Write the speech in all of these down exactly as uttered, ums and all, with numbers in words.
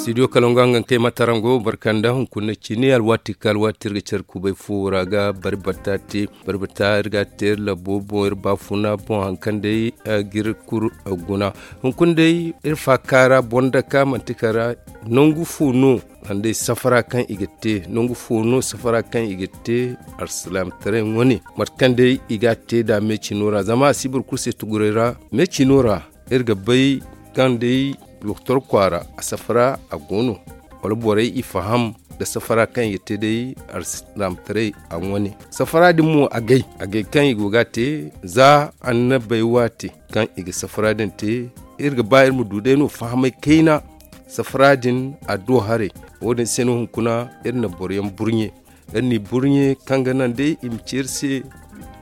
Studio Kalangu, a nga kay matarango barkanda hunkuna cine alwaati ka alwaati iri ga care kubay fo ra ga bari batta te. Bari batta iri ga a te iri labo boŋ iri baafuna boŋ hari kaŋ day ga iri kulu guna. Hunkuna day iri faaka ra boŋ daka manti kala nangu fo no, sanda safara kaŋ i ga te nangu fo no safara kaŋ i ga te alsilaamataray wane mate kaŋ day i ga a te nd'a meecino ra zama a si boro kulu se tuguray ra. Meecino ra iri ga bay kaŋ day doktor kwaara a safara a go no, wala borey i faham nda safara kaŋ i ga te day alsilaamataray a wane. Safara din mo a gay a gay kaŋ i go ga a te za annabey waate kaŋ i ga safara din te. Iri ga ba iri ma du day no fahamay kayna safara din adduwa haray. Wo- din se no hunkuna iri na boro yaŋ burɲe iri n'i burɲe kaŋ ga naŋ day i ma ci iri se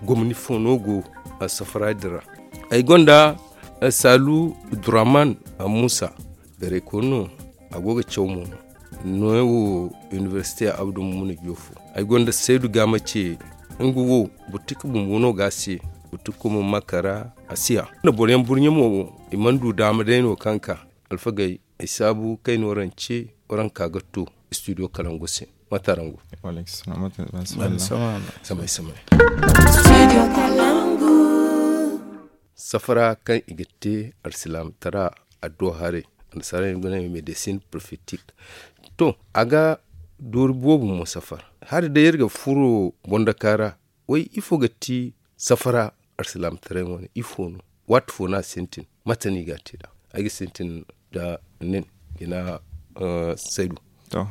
gomni fo no go safara din ra. Ay gonda saalu duraman muusa, beeraykooni no, a go ga caw mo no. Nooya wo inibersite abdu mumuni joofo. Ay gonda saydu gaama ce, nga wo butika bumbo no ga a se. Butika mo ma kara a si ya nda boro yaŋ burɲe mo wo i mana du daama day no kaŋ ka alfagey ay saabu kay no rance. Waranka ga to studio kalangu se. Matarangu. Samay samay. Safara kaŋ i ga te alsilaamataray adduwa haray, annasaara yaŋ ga ne medesin profetik. To, a ga doori boobo mo safar. Hari day iri ga furo bondaka ra. Way ifo ga ti safara alsilaamataray wane ifo no? Waati fo no a sintin? Mate no i ga a te nd'a? Ay ga sintin nda nin jina. Saydu. To,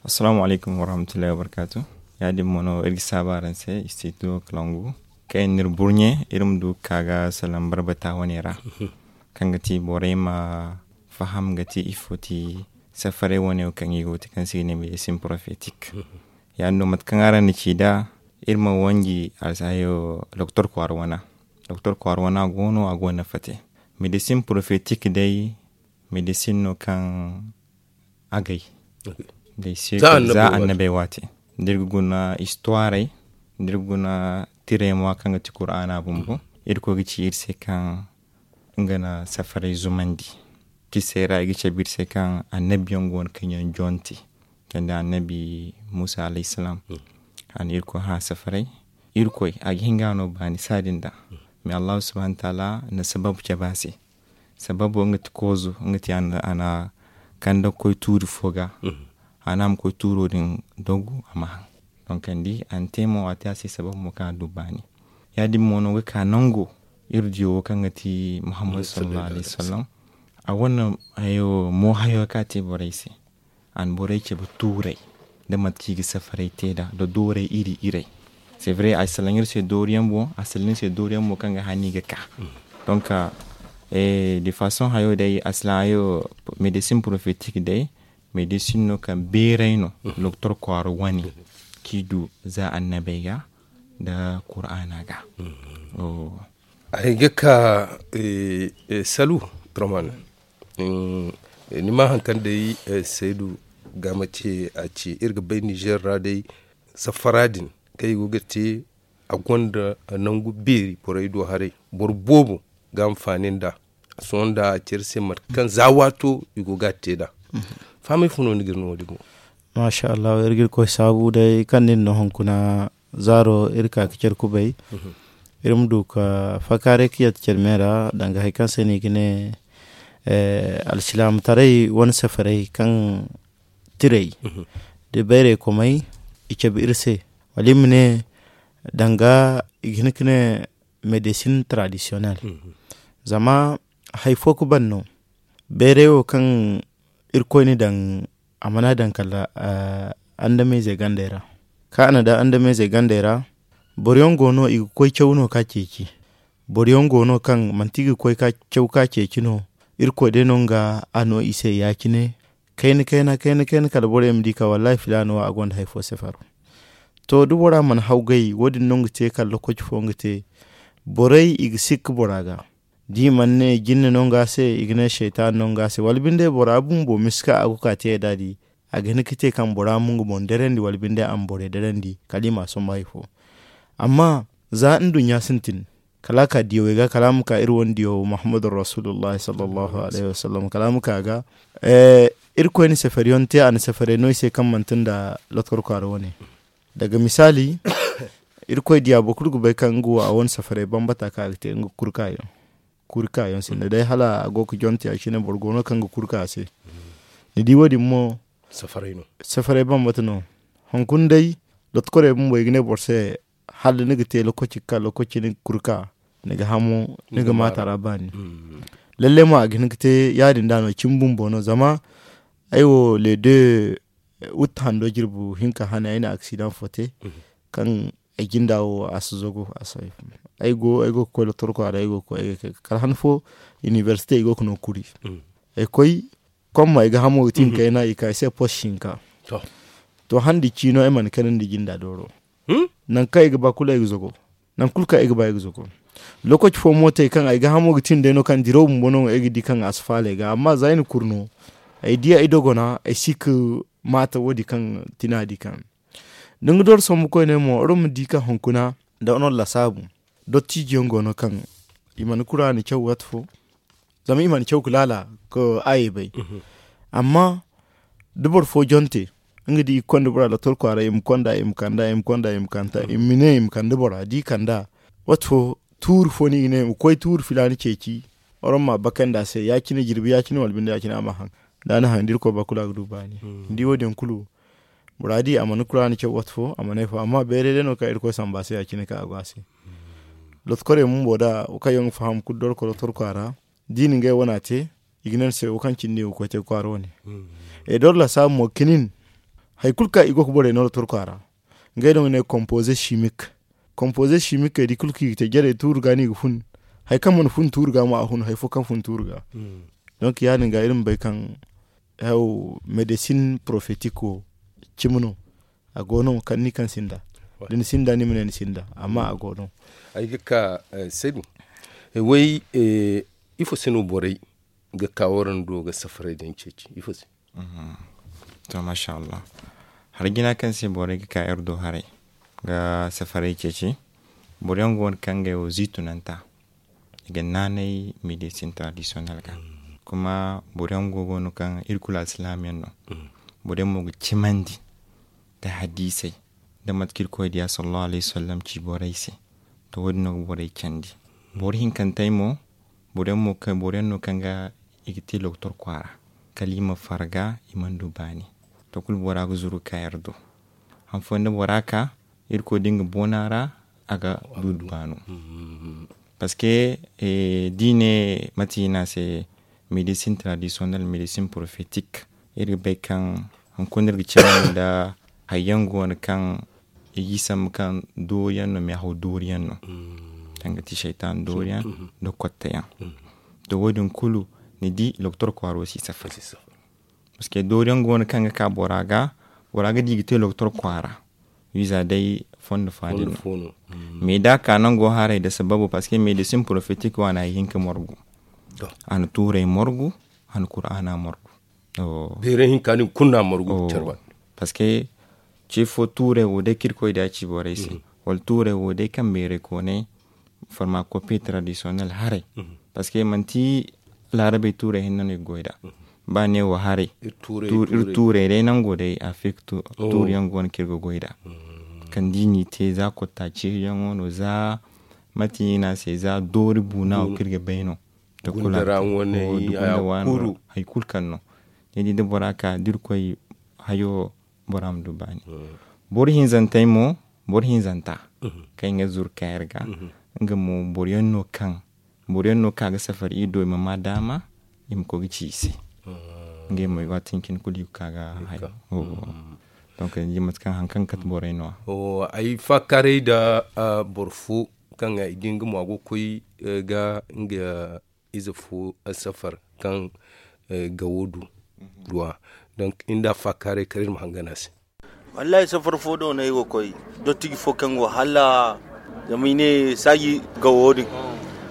assalaamu alaykum warahmatullahi wabarkaatu. Ya- din mo no iri ga saabu araŋ se istidiyo kalangu kaŋ yaŋ no iri burɲe iri ma du ga ka ga salaŋ barbata wane ra, kaŋ ga ti borey ma faham ga ti ifo ti safaray wane wo kaŋ i go ga ti kaŋ se i ga ne medesin profetik. Ya- din no mate kaŋ araŋ na ci nd'a, iri ma wanji alsahayo doktor kwaara wana. Doktor kwaara wana go no a go nafa te. Medesin profetik day medesin no kaŋ agay day se za annabey waate. Da iri ga guna istuwaarey, da iri ga guna tirey mo kaŋ ga ti kuraana bumbo, irkoy ga ci iri se kaŋ nga na safaray zumandi. Kisey ra i ga cabe iri se kaŋ annabiyaŋ go no kaŋ yaŋ jonte kala nda annabi muusa alayhi salaam. A na irkoy hã safaray. Irkoy a ga hin ga no baani saadin da. Mais allahu subhanahu wa taala na sababu cabe a se. Sababo nga ti koozo nga ti a na kande ga koy tuuri fo ga. A ne a ma koy tuuro din dogu a ma haŋ. Donk a di a na te mo a te a se sababo mo kaŋ a du baani. Ya- din mo no ga ka nango iri diyo wo kaŋ ga ti muhammadu sallallahu alayhi wasallam. A wane hayo mo hayo kaŋ a te borey se. A na borey cabe tuuray nda mate kaŋ i ga safaray te nd'a nda doorey iri iray. C'est vrai a salaŋ iri se dooriyaŋ boŋ a salaŋ iri se dooriyaŋ boŋ kaŋ ga hani ga ka. Donc de façon hayo day a salaŋ hayo medesin profetik day medesin no kaŋ beeray no doktor kwaara wane kaŋ i du za annabey ga nda kuraana ga. Ay ga ka salu traman. Ni ma hari kaŋ day saydu gaama ce a ci iri ga bay nizer ra day safara din kaŋ i go ga te a gonda nangu beeri borey do haray boro boobo ga anfaani nd'a. Sohõ nda a ci iri se mate kaŋ za waato i go ga a te nd'a. Fahamay fo no ni ga iri no wo- din boŋ? Maasa allahu iri ga iri koy saabu day kaŋ nin no hunkuna zaaro iri ka ga care kubay. Iri ma du ka fakaaray ka yadda care me ra danga hari kaŋ se no i ga ne alsilaamataray wane safaray kaŋ tiray da bayray komay i cabe iri se wala iri ma ne danga i ga hin ga ne medesin taradisiyonel. Zama hari fo ga ban no bayray wo kaŋ irkoy na daŋ a mana daŋ kala andameyzey gandey ra. Kaŋ a na daŋ andameyzey gandey ra boro yaŋ go no i ga koy caw no ka ceeci. Boro yaŋ go no kaŋ manti i ga koy ka caw ka ceeci no. Irkoy day no nga a no i se ya- cine kayna kayna kayna kayna kala borey ma di ka wallahi filaana wo a gonda hari fo sefaro. To da bora mana hawgay wo- din no nga te kala lokaci fo nga te. Borey i ga sikka bora ga da i mana ne jinne no nga se i ga ne seytaana no nga se wala binde bora bumbo miska a go ka te nd'a di. A ga hin ga te kaŋ bora ma nga boŋ darandi wala binde a ma borey darandi kala i ma a sombu hari fo. Amma za nduɲɲa sintin Kala a ka diyawey ga, kala a ma ka iri wane diyaw Muhammadu Rasulullah sallallahu alaihi wasallam, kala a ma ka ga. Irkoy na safariyaŋ te, a na safaray no i se kaŋ manti nda lotkor kwaara wane. Daga misaali, Irkoy diya boro kulu ga bay kaŋ nga wo a wane safaray bambata kaŋ a ga te nga kurkayaŋ. Kurkayaŋ sinda day hala a go ga jonte a cine, boro go no kaŋ ga kurka a se. Ni di wo- din mo safaray bambata no. Hunkuna day, lotkorey bumbo i ga ne boro se, hala ni ga te lokaci ga ka lokaci ni ga kurka, ni ga hamo, ni ga maata ra baani. Lalle mo a ga hin ga te ya- din da no cimi bumbo no zama ay wo le de, wutta hando jirbi hinka hane ay na aksidaŋ fo te, kaŋ ay jinda wo a si zago a si ay go ay go ga koy lotorko a ra ay go ga koy ay ga kay kala han fo, inibersite i go ga no kuri. Ay koy komma ay ga hamo ga tin kayna i ka ay se pos hinka. To handi ciino ay mana kanandi jinda dooro. Nangu kaŋ ay ga ba kulu ay ga zago. Nangu kulu kaŋ ay ga ba ay ga zago. Lokaci fo mo te kaŋ ay ga hamo ga tin day no kaŋ diraw bumbo no ay ga di kaŋ a si faala ay ga amma za ay na kuru no, ay di ay dogona ay si ga maata wo- din kaŋ tina di kaŋ da nga doro sombu koyne mo oro ma di kaŋ hunkuna, da ono lasaabu dottijiyaŋ go no kaŋ i mana kuraani caw waati fo. Zama i mana caw ga laala ga aayey bay. Amma da boro fo jonte, nga da i ga konda bora lotor kwaara i ma konda i ma kanda i ma konda i ma kanta i ma ne i ma kanda bora da i kanda, waati fo tuuri fo no i ga ne i ma koy tuuri filaana ceeci. Waraŋ ma a bakandi a se ya- cine jirbi ya- cine wala binde ya- cine a ma haŋ. Da a na haŋ da irkoy ba kulu a ga du baani. Ni di wo- din kulu, bora di a mana kuraani caw waati fo a mana ay fo amma bayray day no kaŋ irkoy samba se ya- cine kaŋ a go a se. Lotokorey bumbo da wo kaŋ yaŋ ga faham kulu doro kolotor kwaara, da i na ngey wana te, i ga ne ni se wo kaŋ cindi i go ga koy te ga kwaara wane. Ay doro lasaabu mo ga kinin, hari kulu kaŋ i go ga borey no lotor kwaara, ngey no ga ne kompoze simik. Kompoze simikey da i kulu kaŋ i ga te jarey tuuri ga no i ga fun. Hari kaŋ mana fun tuuri ga mo a fun hari fo kaŋ fun tuuri ga. Donk ya- din ga iri ma bay kaŋ haw medesin porofetik wo cimi no. A go no kaŋ ni kaŋ sinda, da ni sinda ni ma ne ni sinda. Amma a go no. Ay ga ka, sadu, way, ifo se no borey ga ka waraŋ do ga safaray daŋ ceeci ifo se? To masha allah. Hari jina kaŋ se borey ga ka iri do haray ga safaray ceeci. Boro yaŋ go no kaŋ ga ay wo ziitunanta i ga naanay medesin tradisiyonel ga. Kuma boro yaŋ go go no kaŋ iri kulu alsilaam yaŋ no. Boro yaŋ mo ga cimandi nda hadiisey nda mate kaŋ irkoy diya sallallahu alayhi wasallam ci borey se. To wo- din no ga borey candi. Boro hinkantey mo boro yaŋ no kaŋ ga i ga te lokotor kwaara kala i ma farga i mana du baani. To kulu bora ga zuru ga ka iri do. Han fooyaŋ da bora ka irkoy da nga boona ra a ga du baano. Parceque da i ne mate i ne a se medesin tradisiyonel medesin porofetik, iri ga bay kaŋ hunkuna iri ga cimandi nda hari yaŋ go no kaŋ i ga i sambu kaŋ doori yaŋ no meehaw doori yaŋ no. Kaŋ ga ti saytan doori yaŋ nda kotte yaŋ. To wo- din kulu ni di lokotor kwaaro si safari. Parceque doori yaŋ go no kaŋ ga ka bora ga, bora ga di ga te lokotor kwaara. Wiiza day fondo fo din no. Mais da a ka nango haray nda sababu parceque medesin porofetik waana hari hinka morgu. A na tuuray morgu, a na kuraana morgu. Beeray hinka din kulu no a morgu ga care banda. Parceque ce fo tuuray wo day kaŋ irkoy da ci borey se, wala tuuray wo day kaŋ beeray koonay farmakopi tradisiyonel haray. Parceque manti laarabey tuuray hinne no i ga goy nd'a. Ba ne wo haray, iri tuuray day nango day afirka tuuri yaŋ go no kaŋ iri ga goy nd'a. Kaŋ da i n'i te za kotta ceeri yaŋo no za mate i ne a se za doori buuna wo kaŋ iri ga bay no. Hari kulu kaŋ no ni di da bora ka da irkoy hayo bora ma du baani. Boro hinzantey mo, boro hinzanta kaŋ i ga zuru ka iri ga, nga mo boro yaŋ no kaŋ boro yaŋ no kaŋ a ga safari i do i ma ma daama i ma koy ga ci i se. Ngey mo waati hincine kulu i ga ka ga hayo. Donc ni di mate kaŋ hari kaŋ ga kate borey no- ya. Ay faakaaray nda boro fo kaŋ ay di nga mo a go ga koy ga nga ize fo safar kaŋ gawo du duwa. Donc iri nda a faakaaray kala iri ma hangan a se. Wallahi safar fo do no ay go ga koy dottiji fo kaŋ go hala zama i ne saaji gawo din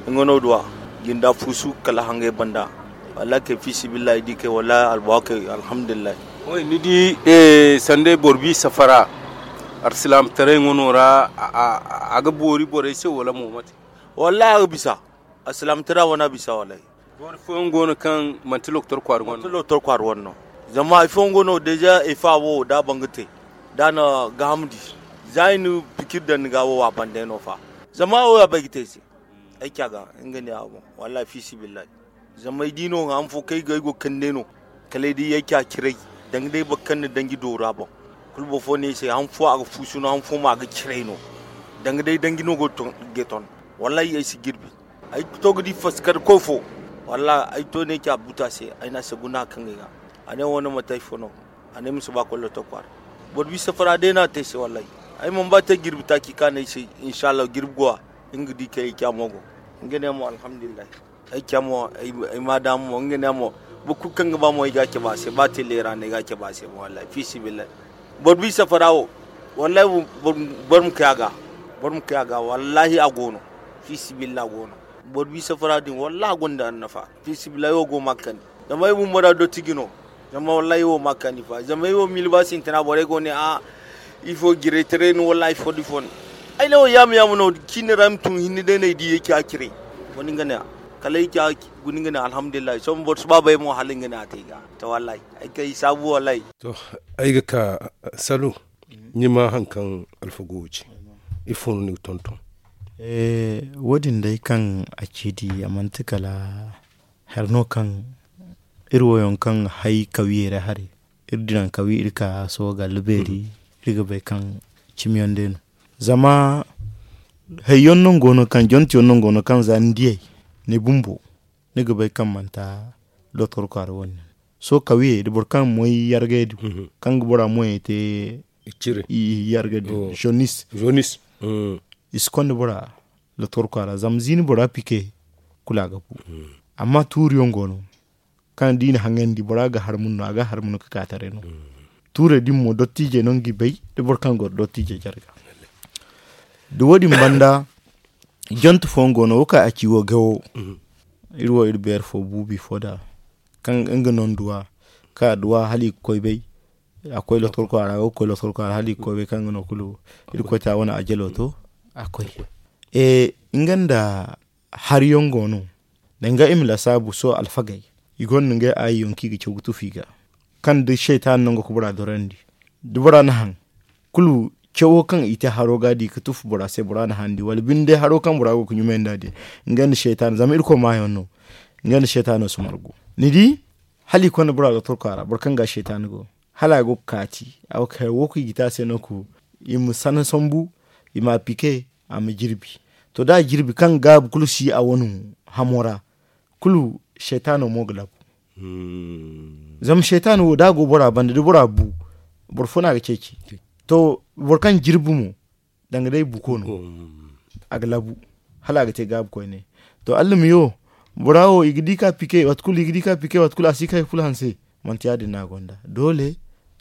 nga no duwa. Jinda fuusu kala hangay banda. Wallahi kay fiisabilillahi di kay wallahi albuwa kay alhamdulillahi. Ni di sanda ay boro bi safara arsilaamataray nga no ra a ga boori borey se wala mo mate? Wallahi a ga bisa. Alsilaamataray wane a bisa wallahi. Doori fooyaŋ go no kaŋ manti lokotor kwaara wane no. Zama hari fooyaŋ go no deeza efa wo da a ban ga te, da a na gaaham di, za i na pikir daŋ ni ga wo a ban day no fa. Zama wo a bay ga te ay se. Ay ca ga nga ne a boŋ. Wallahi fiisibillahi. Zama ay di no han fo kaŋ ay go ga kande no. Kala ay di ay ca ciray. Danga day boro kaŋ na danji doora boŋ. Kulu boro fo ne ay se han fo a ga fuusu no han fo mo a ga ciray no. Danga day danji no go ga ton. Wallahi ay si jirbi. Ay to ga di faskar koy fo. Wallahi ay to ne ay ca buta se ay na a se guna kaŋ ga ay ga. A ne wane mate ay fo no. A ne ay ma si ba kwallo to kwaara. Boro bi safara day no a te ay se wallahi. Ay mana ba te jirbi taaci ka ne ay se. Inshallah jirbi go a. Nga di kay ay ca mo go. Nga ne mo alhamdulillahi. Ay ca mo ay ma daama mo nga ne mo. Boro kulu kaŋ ga ba mo ay ga a cabe a se ba te leera no ay ga a cabe a se mo wallahi fiisibillahi. Boro bi safara wo. Wallahi boro ma kay a ga. Boro ma kay a ga wallahi a go no. Fiisibillahi a go no. Boro bi safara din wallahi a gonda annafa. Fiisibillahi ay wo go ma a kani. Zama ay bumbo ra dottiji no. Zama wallahi ay wo ma a kani fa zama ay wo miila ba sintina borey go ne a. Ifo jiraytaray no wallahi fo da ifo no. Ay ne wo yaama yaama no ciine ra ay ma tun hinne day no ay di ay ca ciray. Wani nga ne a kala ay ca guni nga ne alhamdulillahi sohõ boro si ba bay mo hala nga ne a te ay ga. To wallahi ay kay saabu wallahi. To ay ga ka salo. Ni ma hari kaŋ alfago wo ci. Ifo no ni ga tonton? Wo- din day kaŋ a ci di a manti kala hari no kaŋ iri wo yaŋ kaŋ hay kawiyey ra hari. Iri diraŋ kawi iri ka sohõ ga albeeri. Iri ga bay kaŋ cimi yaŋ day no. Zama hayyaŋ no go no kaŋ jonti yaŋ no go no kaŋ za ni diyey ni bumbo ni ga bay kaŋ manti lotor kwaara wane. Sohõ kawiyey da boro kaŋ moy yargay din kaŋ ga bora moyey te yargay din zonis. I si konda bora lotor kwaara zama ziini bora pike kulu a ga bu. Amma tuuri yaŋ go no kaŋ da i na haŋandi bora ga harmun no a ga harmun ka ka taray no. Tuurey din mo dottijey no nga i bay da boro kaŋ goro dottijey jarga. Da wo- din banda jonte fooyaŋ go no wo kaŋ a ci wo gawo. Iri wo iri beere fo buubi fo da kaŋ nga no nduwa kaŋ a duwa hala i ga koy bay. A koy lotor kwaara go ga koy lotor kwaara hala i ga koy bay kaŋ nga no kulu iri koy ta wane a jalo to. A koy nga nda hari yaŋ go no. Danga i ma lasaabu sohõ alfagey i gonda ngey aayi yaŋ kaŋ i ga caw ga tufu i ga kaŋ da saytaana nango ga bora dorandi da bora na haŋ kulu cawo kaŋ i te haro ga di ga tufu bora se bora na haŋ di wala binde haro kaŋ bora go ga ɲumay nda din. Nga nda saytaana zama irkoy maayaŋ no. Nga nda saytaano si margu ni di hala i konda bora lotorko a ra boro kaŋ ga saytaana go hala a go ga kaati a wo kaŋ i ga te a se no ku i ma sana sambu i ma a pike a ma jirbi. To da a jirbi kaŋ gaabu kulu si a wane hamo ra kulu saytaano mo ga labu. Zama saytaano wo da a go bora banda da bora bu boro fo no a ga ceeci. To boro kaŋ jirbi mo danga day buko no a ga labu hala a ga te gaabu koyne. To allamiyo bora wo i ga di ka pike waati kulu i ga di ka pike waati kulu a si ka hay kulu hanse. Manti ya- din no a gonda doole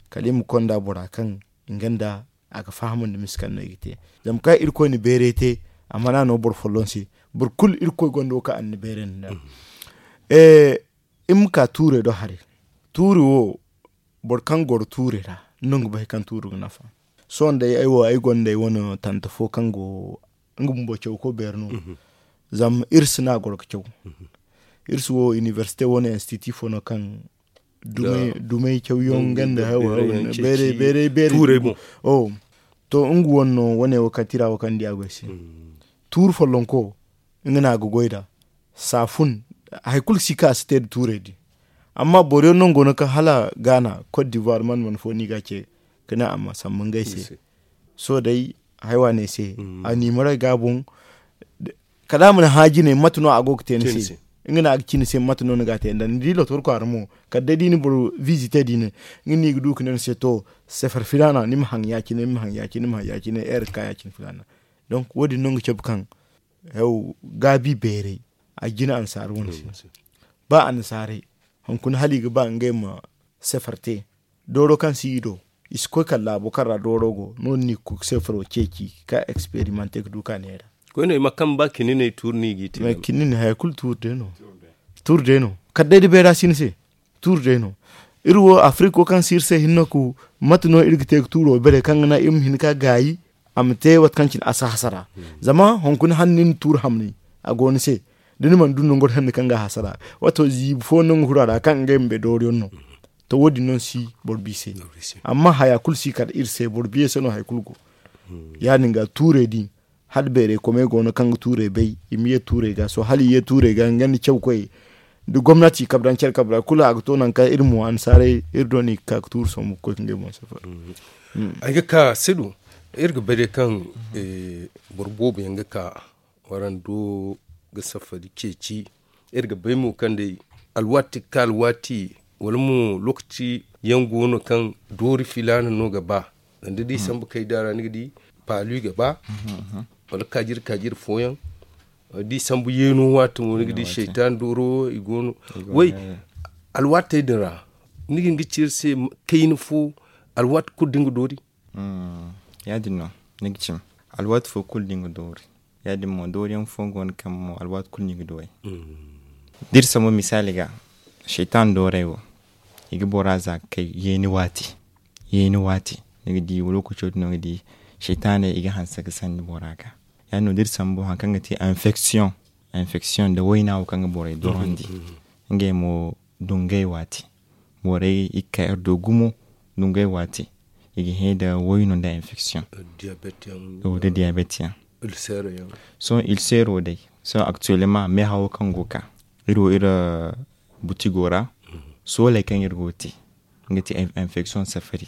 kala i ma konda bora kaŋ nga nda a ga fahamandi misa kaŋ no i ga te. Zama kaŋ irkoy na beeray te a mana no boro folloŋ se boro kulu irkoy gonda wo kaŋ a na ni beeray nda. Iri ma ka tuurey do haray tuuri wo boro kaŋ goro tuurey ra no nga bay kaŋ tuuri ga nafa. Sohõ day ay wo ay gonda ay wane tante fo kaŋ go nga bumbo cawko beeri no. Zama iri si no a goro ga caw iri si wo inibersite wane institut fo no kaŋ dumey cawyaŋ ganda hawa beeray beeray beeray. To nga wane no wane wo kaŋ tira wo kaŋ di a go ay se tuuri follonko nga no a ga goy nd'a. Saafun hari kulu si ka a si te nda tuurey din. Amma boro yaŋ no nga go no kaŋ hala gaana kot divuwar man man fo no i ga a ce ga ne a ma sambu ngey se. Sohõ day haya waaney se a niimaray ga a boŋ. Kala a ma ni hã jine mate no a go ga te ni se. Nga no a ga ci ni se mate no ni ga a te nda ni di lotor kwaara mo kala day da i na boro visite din nga no i ga du ga ne ni se to sefar filaana ni ma haŋ ya- cine ni ma haŋ ya- cine ni ma haŋ ya- cine heure ga ka ya- cine filaana. Donk wo- din no nga cabe kaŋ gaabi beeray a jine annasaara wane se. Ba annasaarey hunkuna hala i ga ba ngey ma sefar te dooro kaŋ si i do i si koy kala laabo kaŋ ra dooro go no- din no i ga koy ga sefaro ceeci ga ka eksperimante ga du ka neera. Koyne i ma kaŋ ba kininey tuuri no i g'i te. Kininey haya kulu tuuri day no. Tuuri day no kala day da bayra si ni se. Tuuri day no iri wo afirik wo kaŋ si iri se hinne ku mate no iri ga te ga tuuro bare kaŋ ga naŋ iri ma hin ka gaayi a ma te waati kaŋ cine a si hasara. Zama hunkuna hala ni na tuuri hamni a go ni se. Da ni mana du nangu hanno kaŋ ga a hasara, waato ziibi fo nangu huru a ra kaŋ ngey ma bay dooriyaŋ no. To wo- din no ni si boro bi se. Amma haya kulu si kala iri se, boro biye se no hari kulu go. Ya- din ga tuurey din, hala beeray komey go no kaŋ ga tuurey bay, i ma ye tuurey ga sohõ hala i ye tuurey ga nga nda cawkoyey, da gomnati kabra nda care kabra kulu a ga to nangu kaŋ iri mo annasaarey iri do no i ga ka ga tuuru sombu ga koy ga ngey boŋ safar. Ay ga ka sidu, iri ga bay day kaŋ boro boobo yaŋ ga ka warando ga safari ceeci. Iri ga bay mo kaŋ day alwaati ga ka alwaati, wala mo lookaci yaŋ go no kaŋ doori filaana no ga ba. Zama da i sambu kayda ra ni ga di paalu i ga ba, wala kaajiri kaajiri fooyaŋ. Wala da i sambu yeeno waati mo ni ga di seytaan dooro i go no. Way, alwaatey din ra ni ga hin ga ci iri se kayna fo alwaati kulu da ni ga doori. Ya- din no ni ga cim alwaati fo kulu da ni ga doori. Ya- din mo dooriyaŋ fo go no kaŋ mo alwaati kulu ni ga du ay. Da iri sambu misaali ga, seytaan doorey wo, i ga bora za ga kay yeeni waati. Yeeni waati ni ga di lookaco din no ga di seytaaney i ga hanse ga sandi bora ga. Ya- din no da iri sambu hari kaŋ ga ti infection, infection nda wayna wo kaŋ ga borey dorandi. Ngey mo dungay waati, borey i ga ka iri do gumo dungay waati. I ga hẽ nda wayno nda infection, da diabet yaŋ. Sohõ ilsero day, sohõ actuellement meehawo kaŋ go ga ka iri wo iri butigo ra, sooley kaŋ iri go ga te, nga ti infection safari.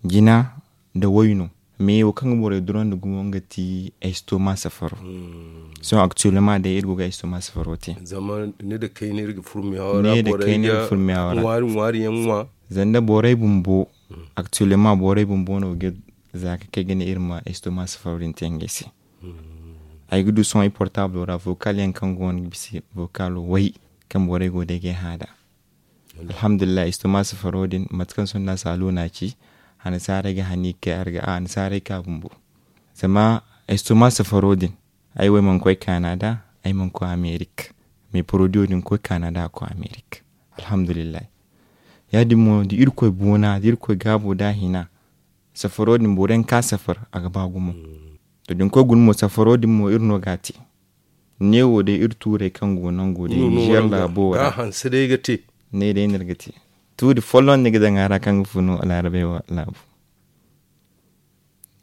Jina nda wayno, mais wo kaŋ ga borey durandi gumo nga ti estoma safaro. Sohõ actuellement day iri go ga estoma safaro te. Zama ne da kayna iri ga furmiyawo ra. Ŋwaari ŋwaari yaŋ ŋwa. Zanda borey bumbo, actuellement borey bumbo no ga za ga kay ga ne iri ma estoma safaro din te ngey se. Ay ga du sohõ ay portable ra vocal yaŋ kaŋ go no ga bisa vocal way kaŋ borey go day ga ay hã nd'a. Alhamdulillahi estoma safaro din mate kaŋ sohõ nda a si a luna ci, hanasaaray ga hani ga kay a ra ga a hanasaaray ka bumbo. Zama estoma safaro din, ay wo ay mana koy canada, ay mana koy amerik. Mais produit din koy canada a koy amerik. Alhamdulillahi. Ya- din mo da irkoy boona da irkoy gaabo da a hina, safaro din boro yaŋ ka safar a ga ba gumo. To da ni koy guna mo safaro din mo iri no ga a te. Ne wo day iri tuurey kaŋ go nango day nizer laabo ra. Ne day no iri ga te. Tuuri folloŋ ni ga daŋ a ra kaŋ ga funu laarabey laabu.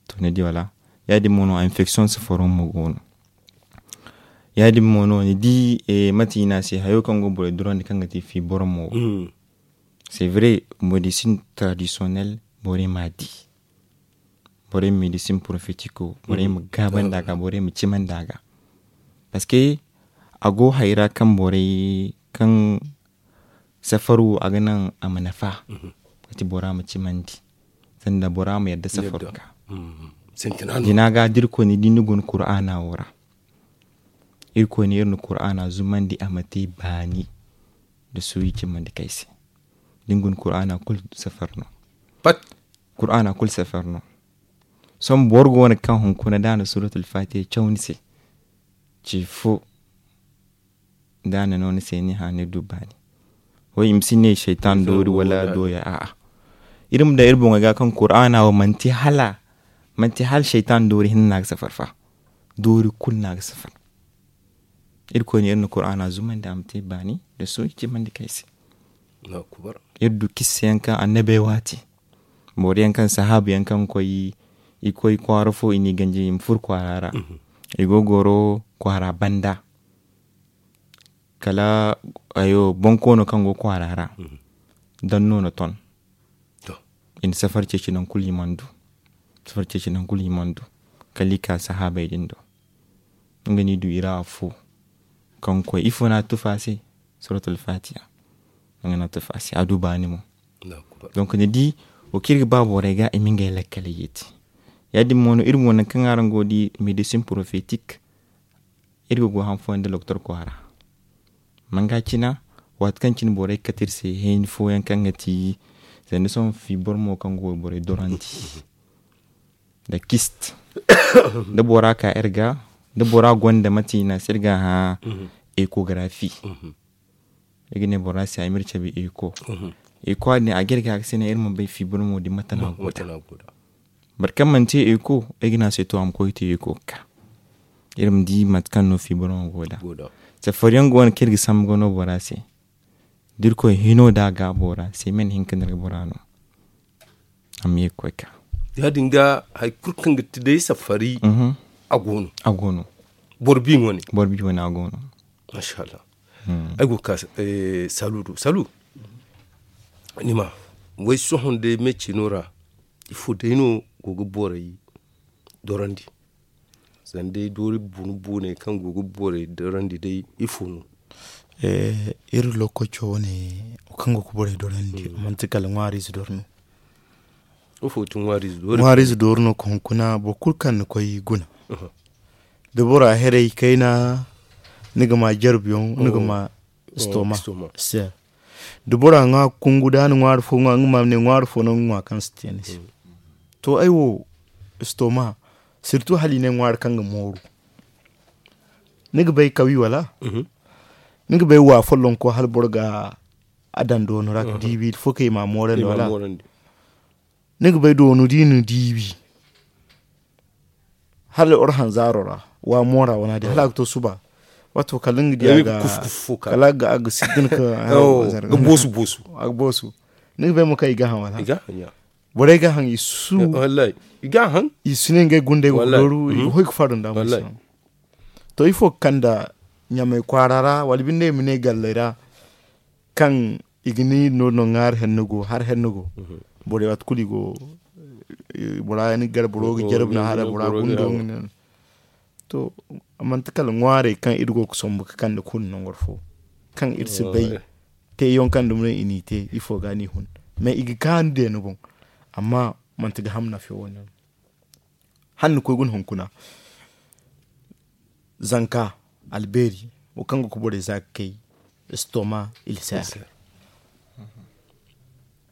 To ni di wala? Ya- din mo no infection safaro mo go no. Ya- din mo no ni di, mate i ne a se hayo kaŋ go borey durandi kaŋ ga te fiibormo wo. C'est vrai, médecine traditionnelle borey ma a di. Borey ma médecine prophétique o borey ma gaabandi a ga, borey ma cimandi a ga. Parce que a go hayra kaŋ borey kaŋ safar wo a ga naŋ a ma nafa. Kati bora ma cimandi sanda bora ma yadda safar ga. Jina ga da irkoy ni di ni guna kur'ana wo ra. Irkoy ne iri na kur'ana zumandi a ma te baani da suuyi cimandi kay se. Da ni guna kur'ana kulu safar no. Kur'ana kulu safar no. Sohõ boro go no kaŋ hunkuna da a na suratul fatiha caw ni se. Ce fo da a na no ni se ni hã ni du baani. Way i ma si ne seytan doori wala dooya a'a. Iri ma daŋ iri boŋey ga kaŋ kur'ana wo manti hala manti hala seytan doori hinne no a ga safar fa. Doori kulu no a ga safar. Irkoy ne iri na kur'ana zumandi a ma te baani da sohõ i cimandi kay se. Iri du kissa yaŋ kaŋ annabey waati boro yaŋ kaŋ sahaabu yaŋ kaŋ koy i koy kwaara fo i n'i ganji i ma furo kwaara ra. I go goro kwaara banda kala hayo bonkoono kaŋ go kwaara ra danno na ton. I na safar ceeci nangu kulu i mana du. Safar ceeci nangu kulu i mana du kala i ka sahaabey din do. Nga no i du i ra afo kaŋ koy ifo no a tufa a se? Suratul fatiha. Nga no a tufa a se a du baani mo. Donc ni di wo kaŋ iri ga ba borey ga i ma ngey lakkaley yeeti. Ya- din mo no iri mo nangu kaŋ araŋ go ga di médecine prophétique. Iri ga go han fooyaŋ nda loktor kwaara manga cina waati kaŋ cine borey ga kate iri se hayni fooyaŋ kaŋ ga ti sanda sohõ fiibormo kaŋ go borey dorandi nda kist. Da bora ka iri ga da bora gonda mate i ne a se iri ga hã échographie. Iri ga ne bora se ay ma iri cabe écho. Écho din a ga iri ga a ga se ne iri ma bay fiibormo din mate no a go da. Boro kaŋ mana te écho ay ga ne a se to a ma koy ga te écho ga ka. Iri ma di mate kaŋ no fiiboro go da safariyaŋ go no kaŋ iri ga sambu ga no bora se. Da irkoy hino da a gaabo ra semen hinka no iri ga bora no. Amma ye ga koy ka ya- din ga hari kulu kaŋ ga ti day safari. A go no. Boro bi wane. Boro bi wane a go no. Masha Allah. Ay go ga ka salu do salu. Ni ma way sohõ day me cino ra ifo day no go ga borey dorandi? Zama day doori bunu buney kaŋ go ga borey dorandi day ifo no? Iri lokoco wane wo kaŋ go ga borey dorandi a manti kala ŋwaariize doro no. Ŋwaariize dooru no ga hunkuna boro kulu kaŋ ni koy guna. Da bora heray kayna ni ga ma jarbiyaŋ ni ga ma istoma. Da bora ŋwa kungu da ni ŋwaari fo ŋwa nga ma ne ŋwaari fo no nga ŋwa kaŋ si te ni se. To ay wo istoma sirtu hala i ne ŋwaari kaŋ ga mooru. Ni ga bay kawi wala? Ni ga bay wa follonko hala boro ga a daŋ doonu ra ga diibi fo kay ma moorandi wala? Ni ga bay doonu da i na diibi hala oro hanzaaro ra wa moora wana din hala a ga to suba. Wato kala nga di a ga kala a ga siddin ka ga boosu boosu a ga boosu. Ni ga bay mo kaŋ i ga haŋ wala borey ga haŋ i su i su ne ngey gundey go ga dooru i ga hoy ga faadu nda mo to ifo ga kanda ɲamey kwaara ra wala binde i ma ne galley ra kaŋ i ga ni no no ŋaari henno go hari henno go. Borey waati kulu i go bora ni gar boro ga jarab na hara bora gundo. To manti kala ŋwaarey kaŋ iri go ga sombu ga kande kulu nangor fo kaŋ iri si bay te yonkaŋ dumi no i n'i te ifo ga ni hun mais i ga kaanu deeni boŋ. Amma manti ga ham nafe wo-ne no. Hala ni koy guna hunkuna zanka albeeri wo kaŋ ga ku borey za ga kay estoma ilser.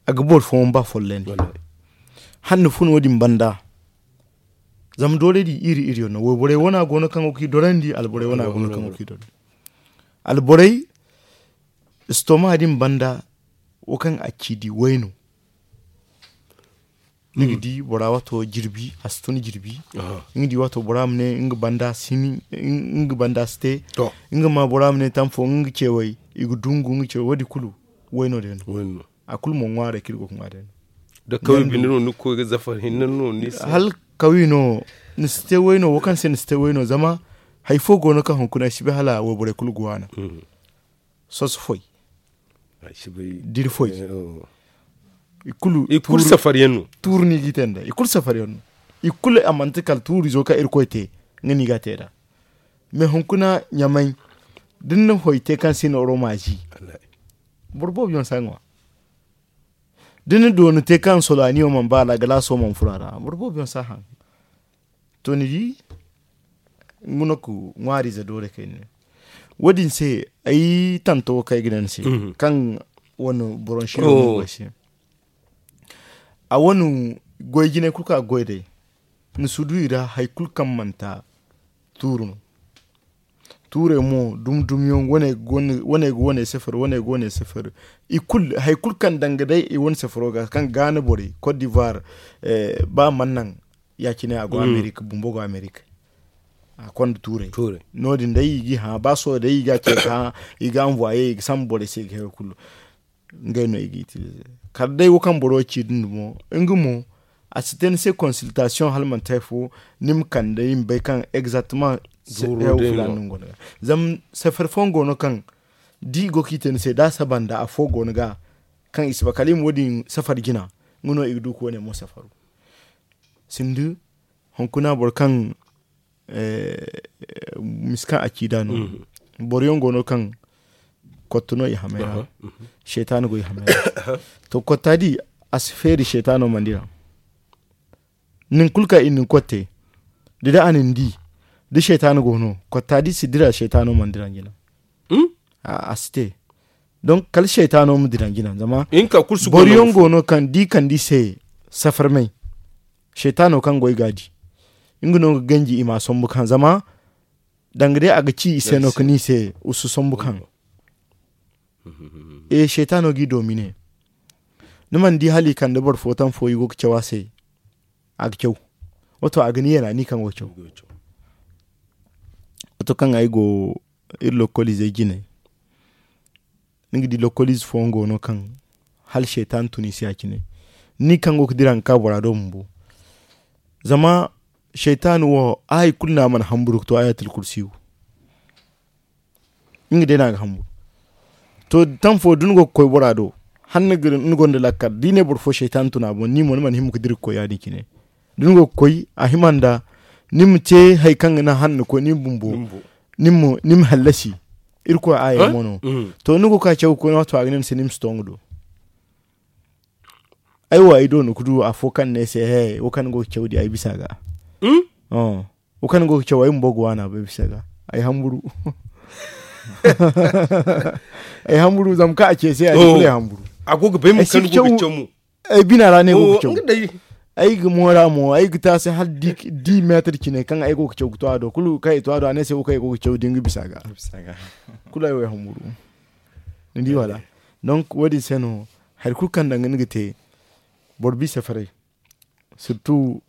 A ga boro fooyaŋ ba follandi hala ni fun wo-din banda. Zama doorey din iri iri yaŋ no wayborey wana go no kaŋ ga ku i dorandi alborey wana go no kaŋ ga ku i dorandi. Alborey estoma din banda wo kaŋ a ci di way no. Ni ga di bora wato jirbi a si tun jirbi. Ni ga di wato bora ma ne nga banda si ni nga banda si te. Nga ma bora ma ne tamfo nga cewey i ga dungu nga cewey wo- din kulu wayno day no. A kulu mo ŋwaarey kaŋ iri go ga ŋwa day no. Da kaway binde no ni ga koy ga zafar hinne no ni se. Hala kaway no ni si te wayno wo kaŋ se ni si te wayno zama hari fo go no kaŋ hunkuna ay si bay hala wayborey kulu ga waana. Soso foy diri foy. I kulu safariyaŋ no. Tuuru no i g'i te nda i kulu safariyaŋ no. I kulu a manti kala tuurizo kaŋ irkoy te nga no i ga a te nd'a. Mais hunkuna ɲamay da ni na foy te kaŋ si na oro ma zi boro boobo yaŋ si a ŋwa. Da ni na dooni te kaŋ solaaniyo mana ba a ra galaaso mana furo a ra boro boobo yaŋ si a haŋ. To ni di nga no ga ŋwaariize doole kayna. Wo- din se ay tanto wo kaŋ ay ga ne ni se kaŋ wane boronsi no ga ay se. A wane goy jinay kulu kaŋ a ga goy day ni si du i ra hari kulu kaŋ manti tuuru no. Tuurey mo dumi dumi yaŋ wane ga wane sefar wane ga wane sefar. I kulu hari kulu kaŋ danga day i wane sefaro ga kaŋ gaana borey kot divoir ba mana naŋ ya- cine a go amerika bumbo go amerika. A konda tuurey no- din day i ga i hã ba sohõ day i ga a ce ga hã i ga anvoye i ga sambu borey se i ga hẽ kulu. Ngey no i ga itilize kala day wo kaŋ boro ci din dumo nga mo a si te ni se konsiltasiyoŋ hala manti hari fo ni ma kande i ma bay kaŋ egzakteman. Zama safari fooyaŋ go no kaŋ da i go kaŋ i te ni se da a saba nda afo go ni ga kaŋ i si ba kala i ma wo- din safari jina. Nga no i ga du ka wo- ne mo safaru sinda hunkuna boro kaŋ misi kaŋ a ci da no. Boro yaŋ go no kaŋ kotto no i hamay ra. Seetaana go i hamay ra to kotta di a si feeri seetaano mana dira. Nin kulu kaŋ i na ni kotte da day a na ni di da seetaano go no kotta di si dira seetaano mana dira jina. A si te donk kala seetaano ma dira jina zama boro yaŋ go no kaŋ da i kande i se safarmey seetaano kaŋ go i ga a di nga no ga ganji i ma a sombu kaŋ zama danga day a ga ci i se no ga ne i se usu sombu kaŋ. E seetaano ga i doomine ni mana di hala i kande boro fo taŋ fo i go ga caw a se. A ga caw wato a ga ni yeena ni kaŋ go ga caw. Waato kaŋ ay go iri lokoliizey jine, ni ga di lokoliize fooyaŋ go no kaŋ hala seytaane tun i se ya- cine. Ni kaŋ go ga dira ga ka bora do bumbo. Zama seytaane wo a hari kulu no a mana hamburu ga to ayatul kursiyu. Nga day no a ga hamburu. To, taŋ fo da ni go ga koy bora do, hala ni gonda lakkal da i ne boro fo seytaane tun a boŋ ni mo ni mana hima ga dira ga koy ya- din cine. Da ni go ga koy a hima nda ni ma te hari kaŋ ga naŋ hala ni koy ni bumbo, ni ma hallasi. Irkoy aaya mo no. To ni go ga ka caw ga koy no waato a ga ne ni se ni ma si to nga do. Ay wo ay do no ga du afo kaŋ ne ay se he wo kaŋ ni go ga caw di ay bisa ga. Wo kaŋ ni go ga caw ay bumbo ga waana bay bisa ga. Ay hamburu. Ay hamburu zama kaŋ a ce ay se ya- din kulu ay hamburu. A go ga bay mo kaŋ ni go ga caw mo. Ay bina ra no ay go ga caw. Ay ga moora mo ay ga te a se hala di meetar cine kaŋ ay go ga caw ga to a do kulu kaŋ ay to a do a ne ay se wo kaŋ ay go ga caw din ga bisa ga. Kulu ay wo ay hamburu. Ni di wala? Donc wo- din se no hari kulu kaŋ danga ni ga te boro bisa faray. Surtout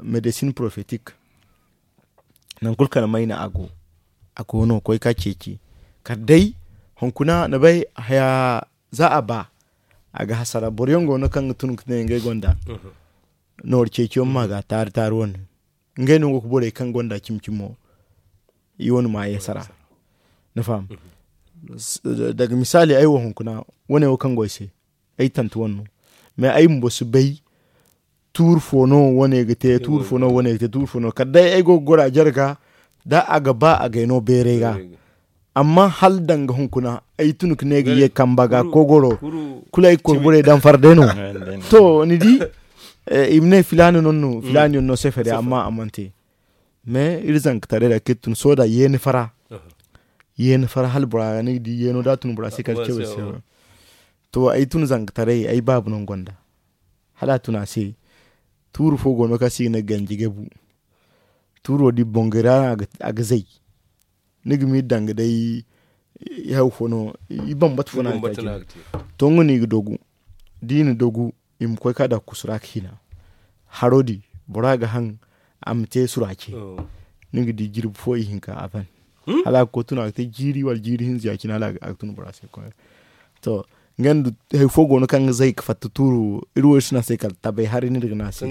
medecine profetik. Nangu kulu kala mayna a go a go no koy ka ceeci. Kala day hunkuna ni bay haya za a ba a ga hasara boro yaŋ go no kaŋ ga tun ga ne ngey gonda. Nooru ceeciyaŋ ma ga taari taari wane ngey no go ga borey kaŋ gonda cimi cimo. I wane ma ye sara. Ni faham? Daga misaali ay wo hunkuna wane wo kaŋ go ay se ay tante wane no. Mais ay bumbo si bay tuuri fo no wane ga te tuuri fo no wane ga te tuuri fo no kala day ay go ga goro a jare ga da a ga ba a ga ay no beeray ga. Amma hala danga hunkuna ay tun ga ne ga ye kamba ga kogoro kulu ay ga koy borey daŋ fara day no. To ni di i ma ne filaana no no filaana yaŋ no sefari amma a mana te. Mais iri zankataray ra kaŋ iri tun soda yeeni fara. Yeeni fara hala bora ni ga di yeeno da a tun bora se kala cawey se. To ay tun zankataray ay baabu no nga gonda hala a tun a se. Tuuru fo go no kaŋ se i ga ne ganji gabu. Tuuro da i boŋ gay ra no a ga zay. Ni ga ma i daŋ ga day i haw fo no i bambata fo no a ga te a cine. To nga no i ga dogu da i na dogu i ma koy ka daŋ kusu ra ga hina. Haro din bora ga haŋ a ma te surace. Ni ga di jirbi fo ihinka a ban hala a ga koy tun a ga te jiiri wala jiiri hinza ya- cine hala a ga tun bora se koy. To nga nda hari fo go no kaŋ ga zay ga fatta tuuru iri wo iri si ne a se kala tabay hari no iri ga ne a se.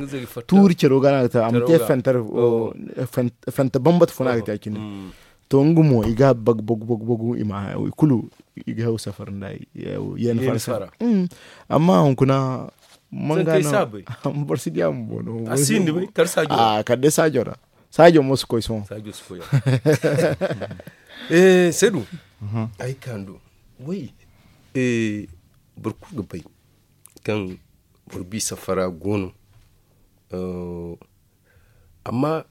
Tuuri caro ga no a ga te a ma te fanta bambata fo no a ga te a cine. To nga mo i ga a bagu bagu bagu i ma haya i kulu i ga haw safar nda. Yeeni fara amma hunkuna manga no boro si di a ma bono. Kala day saajo ra saajo mo si koy sohõ. Seedu ay kaanu way boro kulu ga bay kaŋ boro bisa fara go no. Amma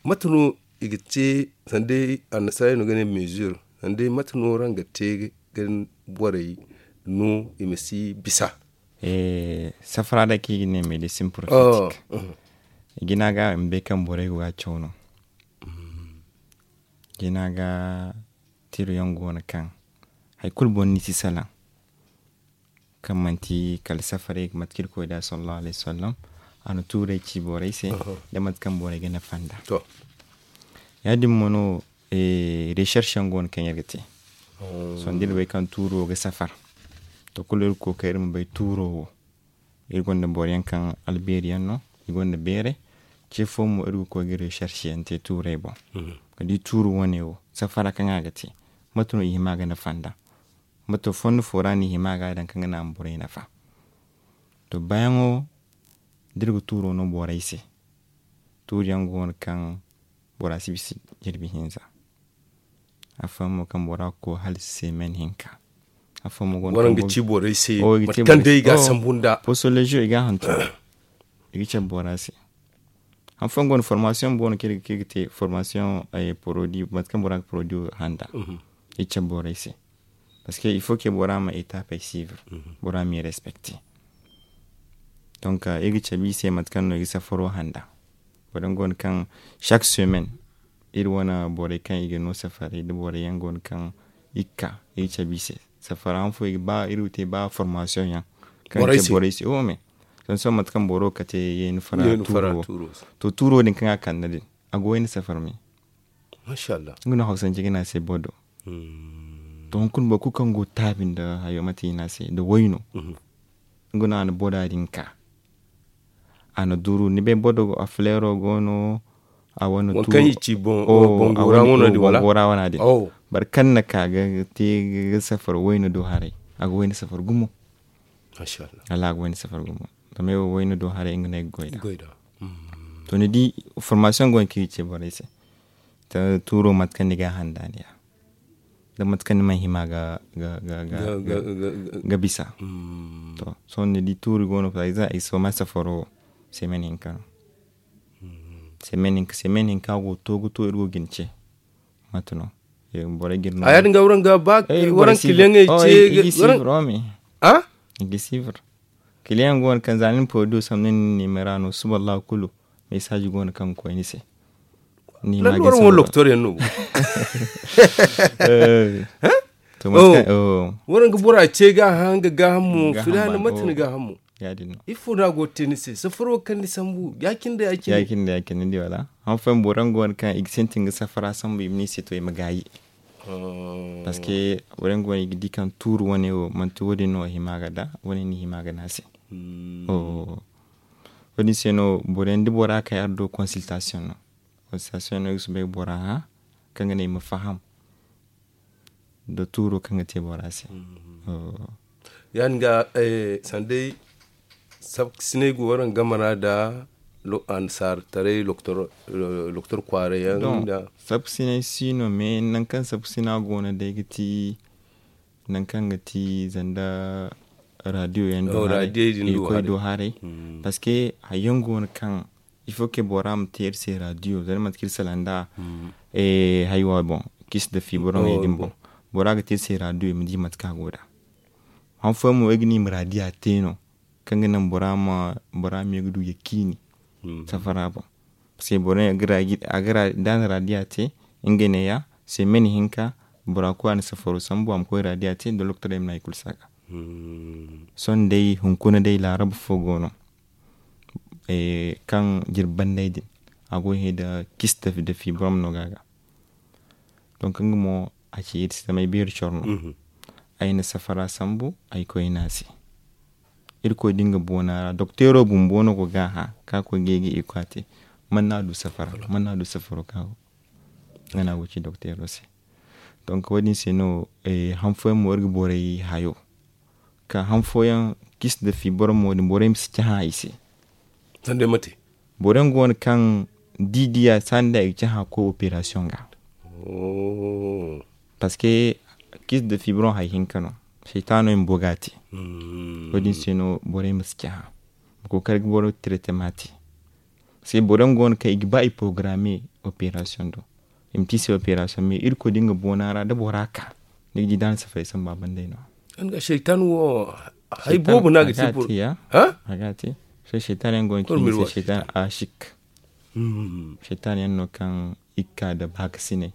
mate no i ga te sanda annasaarey no ga ne mesure sanda mate no araŋ ga te ga borey no i ma si bisa? Safara day kaŋ i ga ne medecine profetik. Jina ga i ma bay kaŋ borey go ga caw no. Jina ga tiro yaŋ go no kaŋ hari kulu boro ni si salaŋ kaŋ manti kala safaray mate kaŋ irkoy da sallallahu alayhi wasallam. A na tuuray ci borey se da mate kaŋ borey ga nafa nd'a. Ya- din mo no recherche yaŋ go no kaŋ iri ga te. Sohõ da iri bay kaŋ tuuro ga safar to kulu iri ga kookari iri ma bay tuuro wo. Iri gonda boro yaŋ kaŋ albeeri yaŋ no i gonda beeray. Ce fo mo iri ga koy ga recherche yaŋ te tuuray boŋ ga di tuuro wane wo safara kaŋ a ga te mate no i hima ga nafa nd'a. Mate fondo fo ra no i hima ga daŋ kaŋ ga naŋ a ma borey nafa. To baayaŋo da iri ga tuuro no borey se tuuri yaŋ go no kaŋ bora si bisa jirbi hinza. Afooyaŋ mo kaŋ bora ga koy hala semen hinka. Afooyaŋ mo go no kaŋ ga ci borey se mate kaŋ day i ga a sambu nda poso lejo i ga a hantum. I ga cabe bora se. Hanfooyaŋ go no formasiyoŋ boono kaŋ iri ga te formasiyoŋ porodi mate kaŋ bora ga porodi handa. I ga cabe borey se. Parce que il faut que bora ma etapey suivre. Bora ma i respecte. Donc iri ga cabe i se mate kaŋ no i ga safaro handa. Borey yaŋ go no kaŋ chaque semaine iri wane borey kaŋ i ga no safaray da borey yaŋ go no kaŋ i ga ka i ga cabe i se. Safara han fo i ga ba iri ga te ba formasiyoŋ yaŋ kaŋ ga cabe borey se wo me. Sohõ mate kaŋ boro ga kate yeeni fara tuuro wo. To tuuro din kaŋ a kande din a go wayna safara me. Nga no hawsance ga ne a se bodo. To hunkuna boro kulu kaŋ go taabi nda hayo mate i ne a se nda wayno. Nga no a na boda din ka a na duru ni bay bodo a fleero go no. A wane tu kaŋ i ci bongora wana din wala bongora wana din. Boro kaŋ na ka ga te ga safar wayno do haray a ga wayno safar gumo. Wala a ga wayno safar gumo. Zama ay wo wayno do haray nga no ay ga goy da. To ni di formasiyoŋ go no kaŋ i ce borey se tuuro mate kaŋ ni ga a handaaniya da mate kaŋ ni mana hima ga bisa. To sohõ ni di tuuri go no par exemple ay si ma safaro wo semen hinka no. Semen hinka semen hinka go to ga to iri go ga ni ce. Mate no borey ga iri no a yaadin ga waraŋ ga ba waraŋ kiliyaŋey ce. I ga sivir. Kiliyaŋ go no kaŋ za ni na poodiyo sambu ni na ni nimera no suba allahu kulu. Mesaaji go no kaŋ ga koy ni se. Ni ma ga sivir. Loktor yaŋ no. Waraŋ ga bora ce ga hã nga gaaham mo filaana mate ni gaaham mo. Ifo no a go ga te ni se safaro kaŋ ni sambu ya- cine da ya- cine ni di wala? Haŋ fooyaŋ boro yaŋ go no kaŋ i ga sintin ga safara sambu i ma ne i se to i ma gaayi. Parce que boro yaŋ go no i ga di kaŋ tuuru wane wo manti wo- din no a hima ga da wane ni hima ga ne a se. Wo- din se no boro yaŋ da bora kay ardo consultation no. Consultation no i ga soobay ga bora hã kaŋ ga ne i ma faham da tuuro kaŋ ga te bora se. Ya- din ga sanda day sabkasinay go waraŋ game ra nda annasaara taray loktor kwaaray yaŋ nda sabkasinay si no mais nangu kaŋ sabkasina go no day ga ti nangu kaŋ ga ti zanda radiyo yaŋ do haray. Parce que hari yaŋ go no kaŋ il faut que bora ma te iri se radiyo zama ni manti kaŋ iri salaŋ nda haywa boŋ kis da fiibaroŋey din boŋ. Bora ga te iri se radiyo i ma di mate kaŋ a go da. Han fooyaŋ mo ay ga ne i ma radiya te no kaŋ ga naŋ bora ma bora ma ye ga du ya ciini safara boŋ. Parce que bora a ga ra da a na radiya te nga ne ya semen hinka bora kulu a na safaro sambu a ma koy radiya te da loktoray ma na hay kulu si a ga. Sohõ day hunkuna day laarab fo go no kaŋ jirbi banney din a go ga hẽ nda kis da fiibarom no ga a ga. Donc nga mo a ci iri se zama ay beeri coro no. Ay na safara sambu ay koy ne a se. Irkoy da nga boona ra dokteero bumbo no go ga a hã ka koy ga ay ga iko a te. Man no a du safara man no a du safaro ka nga no a go ga ci dokteero se. Donc wo- din se no han fooyaŋ mo iri ga borey hayo ka han fooyaŋ kis da fiibarom wo- din borey ma si cahã i se. Boro yaŋ go no kaŋ da i diya saani da i ga cahã ga koy operasiyoŋ ga. Parce que kis da fiibaroŋ hari hinka no. Saytaano bumbo ga a te. Wo- din se no borey ma si cahã ma kookari ga boro tiretema te. Parce que boro yaŋ go no kaŋ i ga ba i porogaraame operasiyoŋ do. I ma te i se operasiyoŋ mais irkoy da nga boona ra da bora ka ni ga di da a na safaray samba banday no. Nga seytan wo hay boobo no a ga te boro. A ga te. Seytan yaŋ go no kaŋ i ga ne seytan ashik. Seytan yaŋ no kaŋ i ga ka da baakasinay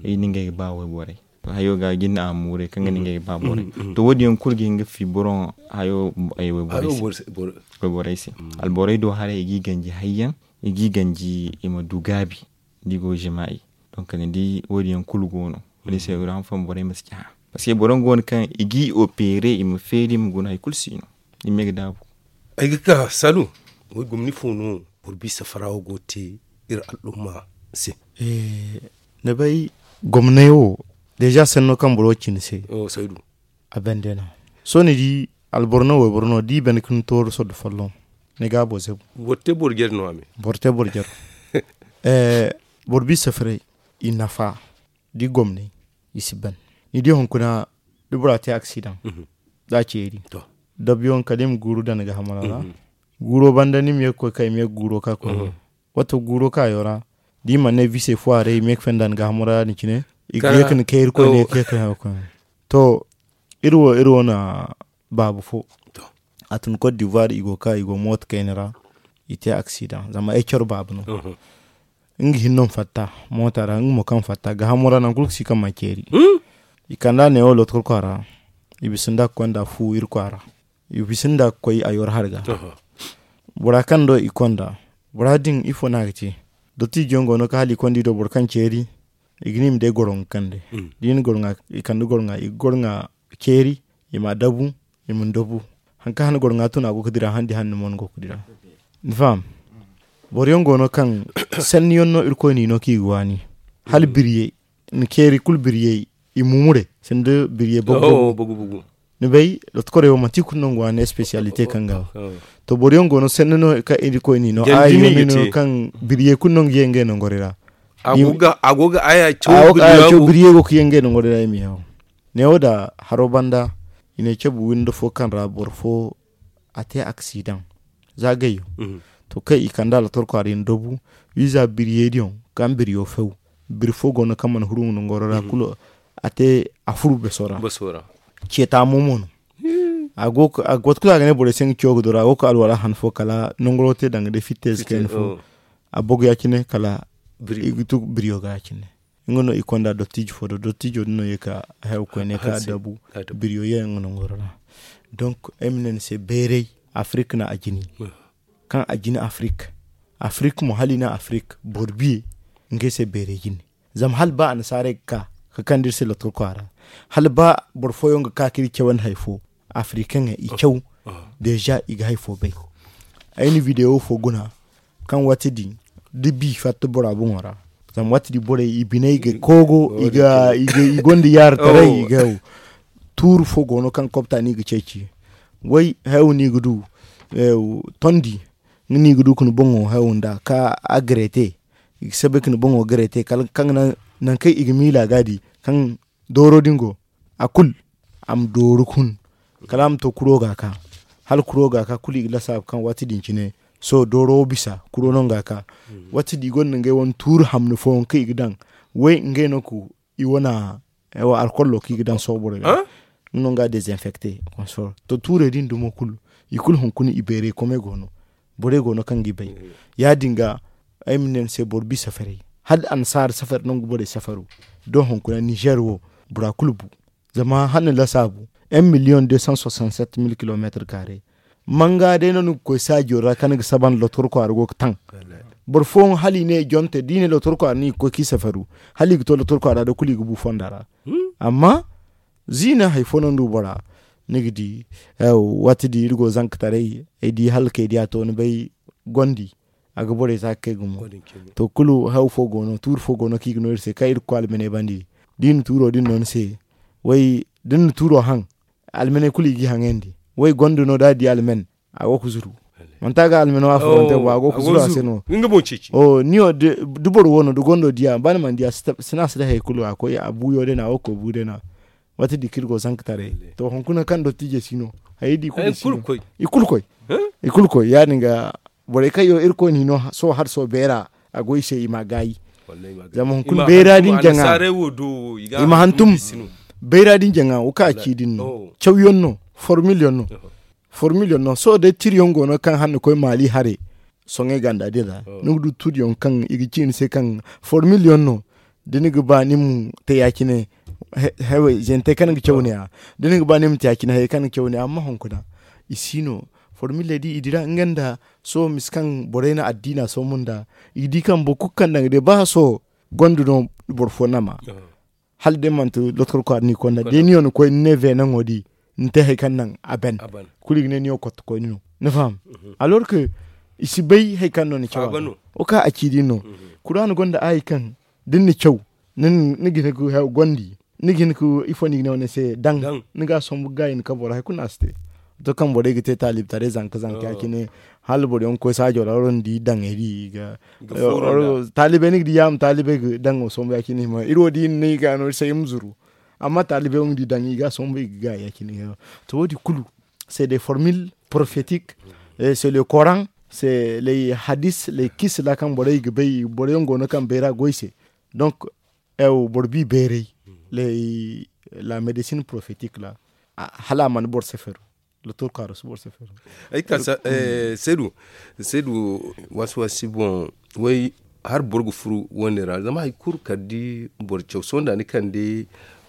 i na ngey ga ba wayborey. Hayo ga jinde a muuray kaŋ ga ne ngey ga ba borey. To wo- din yaŋ kulu ga hin ga fi boro hayo wayborey se. Alborey do haray i ga i ganji hayyaŋ i ga i ganji i ma du gaabi da i go ga jimaa'i. Donc ni di wo- din yaŋ kulu go no wo- din se i go ga hanfo borey ma si cahã. Parce que boro yaŋ go no kaŋ i ga i opere i ma feeri i ma guna hari kulu si no. I ma ye ga daabu. Ay ga ka salu. Way gomni fo no boro bisa fara wo go ga te iri al'umma se? Ni bay gomnay wo deeza sanno kaŋ boro wo ci ni se. A bande no. Sohõ ni di alboro no wayboro no da i bande ka ni tooru sordo folloŋ ni ga a boro zabu. Boro te boro jare no a me. Boro te boro jare. Boro bisa faray i nafa da i gomnay i si ban. Ni di hunkuna da bora te aksidaŋ da a ceeri dabiyoŋ kala i ma guuru daŋ ni ga hamara ra. Guuro banda ni ma ye ga koy ka i ma ye ga guuro ka koy. Wato guuro kaayo ra da i mana ne bisey fo a ra i ma ye ga fenda ni ga hamara ra din cine. I ga ye ga ni kay irkoy ne ga ye ga koy. To iri wo iri wo na baabu fo. A tun kot divoir i go ga ka i go mooto kayna ra. I te aksidaŋ zama ay coro baabu no. Nga hinne no ma fatta moota ra nga mo kaŋ fatta ga hamo ra nangu kulu ga si kaŋ ma ceeri. I kand'a neewo loto kulu kwaara. I bisa nda ga konda fu iri kwaara. I bisa nda ga koy a yoro hari ga. Bora kaŋ do i konda bora din ifo no a ga te? Dottijo yaŋ go no kaŋ hala i konda i do boro kaŋ ceeri. I ga ne i ma day goro ga kande. Da i na goro ŋwa i ga goro ŋwa ceeri. I ma a dabu. I ma ni dabu. Hari kaŋ hane goro ŋwa tun a go ga dira handi hane ni mo ni go ga dira. Ni faham? Boro yaŋ go no kaŋ sanni yaŋ no irkoy n'i no kaŋ i ga waani. Hala biriyey ni ceeri kulu biriyey i mumure sanda biriyey bogu bogu. Ni bay lotokorey wo manti kulu no nga waani espesiyalite kaŋ ga to boro yaŋ go no sanni no kaŋ irkoy n'i no a yaŋ no kaŋ biriyey kulu no nga ye ngey nangorey ra. A go ga aya caw biriyey go ga ye ngey nangorey ra i ma yaw. Neewo da haro banda i ne cabu windo fo kaŋ ra boro fo a te aksidaŋ. Za gayyo to kaŋ i kand'a lotor kwaara i na dabu. Wiiza biriyey din kaŋ biriyo few biri fo go no kaŋ mana huru nga nangoro ra kulu. A te a furu beso ra. Ceeta mo mo no. A go ga waati kulu a ga ne borey se nga ciyo ga doro a go ga alwala han fo kala nangoro te danga day fitte ze kayna fo. A bogu ya- cine kala i ga tu biriyo ga ya- cine. Nga no i konda dottijo fo do dottijo din no ye ka hayo koyne ka dabu. Biriyo ye nga nangoro ra. Donk ay ma ne ni se bayray afirik na a jini. Kaŋ a jina afirik afirik mo hala i na afirik boro biye. Ngey se beeray jine zama hala ba annasaarey ga ka ga kande iri se lottokwa ra hala ba boro fooyaŋ ga ka kaŋ iri cawandi hari fo. Afirikaŋey i caw. Deeza i ga hari fo bay. Ay na videwo fo guna kaŋ waati din da bi fatta bora boŋo ra. Zama waati din borey i biney ga koogo i gonda yaaritaray i ga haw. Tuuru fo go no kaŋ kobta no i ga ceeci. Way hayo no i ga du tondi nga no i ga du ka ni boŋo hayo nd'a ka a gare te. I ga sabbay ka ni boŋo gare te kala kaŋ ga naŋ nangu kaŋ i ga miila ga di kaŋ dooro din go a kulu a ma dooru ka hun. Kala a ma to kuro ga ka hala kuro ga ka kulu i ga lasaabu kaŋ waati din cine. Sohõ dooro wo bisa kuro no nga ka waati din i gonda ngey wane tuuri hamni fooyaŋ kaŋ i ga daŋ. Way ngey no ka i wane alkollo kaŋ i ga daŋ sohõ borey ga. Nga no nga dezinfekte. To tuurey din dumo kulu i kulu hunkuna i bayray komey go no. Borey go no kaŋ ga i bay. Ya- din ga ay ma ne ni se boro bi safaray hala annasaara safari nangu borey safaru. Da hunkuna nizer wo bora kulu bu. Zama hala ni lasaabu un miliyoŋ deux cent soixante sept mille kilometre kaare. Manga day no ni ga koy saajo ra kaŋ ni ga saba nda lotor kwaara go ga taŋ. Boro fooyaŋ hala i ne i jonte da i ne lotor kwaara no i ga koy kaŋ i safaru. Hala i ga to lotor kwaara day kulu i ga bu fonda ra. Amma ziina hari fo no ni du bora ni ga di. Waati din iri go zankataray ay di hala kay diya to ni bay gondi. A ga borey za ga kay gumo. To kulu haw fo go no tuuri fo go no kaŋ i ga no iri se kaŋ iri ga koy almaney bandi. Da i na tuuro din no ni se way da ni na tuuro haŋ. Almaney kulu i g'i haŋayandi. Way gondo no da a di alman a go ga zuru. Manti a ga almano a furante bo a go ga zuru a se no. Ni wo da boro wo no da gondo diya ba ni mana diya sina si day hari kulu a koy a buuyo day no a go ga koy buu day no. Waati din kaŋ iri go zankataray to hunkuna kaŋ dottiijey si no. Hayey din i kulu koy. I kulu koy ya- din ga borey kaŋ yaŋ iri koy no i no sohõ hala sohõ beera. A go i se i ma a gaayi. Zama hunkuna bayra din jaŋa i ma hantum. Bayra din jaŋa wo kaŋ a ci din no cawyaŋ no. Formil yaŋ no. Formil yaŋ no sohõ day tiriyaŋ go no kaŋ hala ni koy maali hare. Soŋay ganda din ra ni ga du tiriyaŋ kaŋ i ga ci ni se kaŋ formil yaŋ no. Da ni ga ba ni ma te ya- cine hayey zantey kaŋ ni ga caw ne- ya da ni ga ba ni ma te ya- cine hayey kaŋ ni ga caw ne- ya amma hunkuna i si no. Formiley din i dira nga nda sohõ misa kaŋ borey na addiina soomo nd'a. I ga di kaŋ boro kulu kaŋ daŋ ga day ba sohõ gonda no boro fo nama. Hala day manti lotkol kwaara no i konda day ni yaŋ ni koy ni ne veenaŋo di ni te hari kaŋ naŋ a ban. Kulu i ga ne ni yaŋ kottokoyne no ni faham. Alor ke i si bay hari kaŋ no ni caw a ga wo kaŋ a ci din no. Kuraana gonda aayi kaŋ da ni na caw ni ga hin ga gondi ni ga hin ga ifo no i ga ne wane se daŋ. Ni ga a sombu ga gaayi ni kabo ra hari kulu no a si te. To kaŋ borey ga te taalibtaray zanka zanka ya- cine hala boro yaŋ ga koy saajo ra wala ni di daŋey di i ga taalibey ni ga di yaama taalibey ga daŋo sombu ya- cine hima iri wo da i na ne i ga no iri se i ma zuru. Amma taalibey wo ni di daŋ i ga a sombu i ga gaayi ya- cine. To wo- din kulu c'est des formules prophétiques. C'est le coran, c'est les hadis, les kisses ra kaŋ borey ga bay boro yaŋ go no kaŋ bayra go i se. Donc boro bi bayray la médecine prophétique ra. Hala a mana boro seferu. Lotor kaaro si boro seferu. Ay ka seedu waasi waasi boŋ. Way hari boro ga furu wane ra zama hari kulu kala da boro caw sohõ da ni kande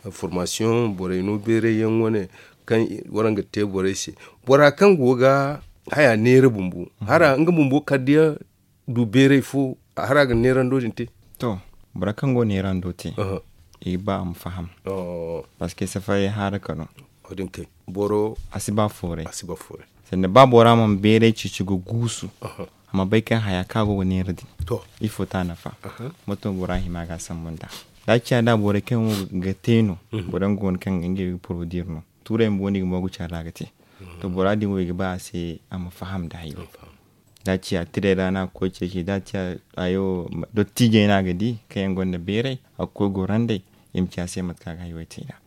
formasiyoŋ borey no bayray yaŋ wane kaŋ waraŋ ga te borey se. Bora kaŋ go ga haya neera bumbo hara nga bumbo kala da yaŋ du bayray fo. Hara ga neerando din te. To Bora kaŋ go neerando te, i ga ba a ma faham. Parce que safaray haara ka no. Boro a si ba fooray. Sanda ba bora mana beeray ceeci ga guusu, a ma bay kaŋ haya kaŋ a go ga neera din, ifo ta nafa? Mato bora hima ga a sambu nda da a ciya da borey kaŋ go ga te no, boro yaŋ go no kaŋ ngey ga porodiir no. Tuurey bumbo no i ga moogu care ra ga te. To bora din wo i ga ba a se a ma faham nda hayo. Da a ciya tirey ra no a ga koy ceeci da a ciya hayo, dottijey no a ga di kaŋ yaŋ gonda beeray, a ga koy gorandey, i ma ci a se mate kaŋ a ga hayo te nd'a.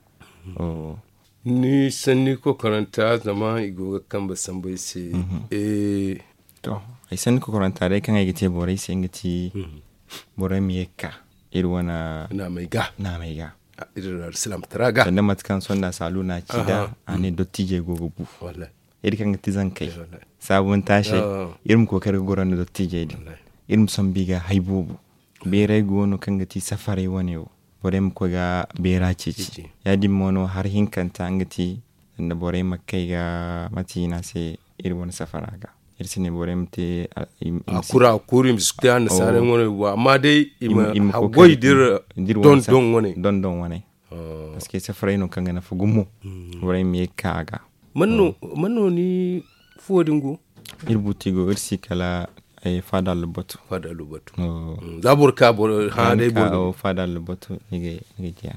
Ni sanni kokoranta zama i go ga kambe sambu ay se. To, ay sanni kokoranta day kaŋ ay ga te borey se nga ti, borey ma ye ga ka iri wane naamey ga. Iri alsilaamtara ga sanda mate kaŋ sonda saalu no a ci nd'a, a ne dottijey go ga bu. Iri kaŋ ga ti zankey, saabuntaasey, iri ma kookari ga goro nda dottijey din. Iri ma sambu i ga hay boobo. Beeray go no kaŋ ga ti safaray wane wo, borey ma koy ga beera ceeci. Ya- din mo no hari hinkanta nga ti, sanda borey ma kay ga mate i ne a se, iri wane safara ga. Iri si ne borey ma te a kura a kuru i ma si te annasaarey wane wo amma day i ma haggoy da iri dondon wane. Parce que safaray no kaŋ ga nafa gumo. Borey ma ye ga ka a ga. Man no ni fuwo din go? Iri buti go iri si kala faada lubatu. Za boro ka boro hã day boro faada lubatu ni ga jiya.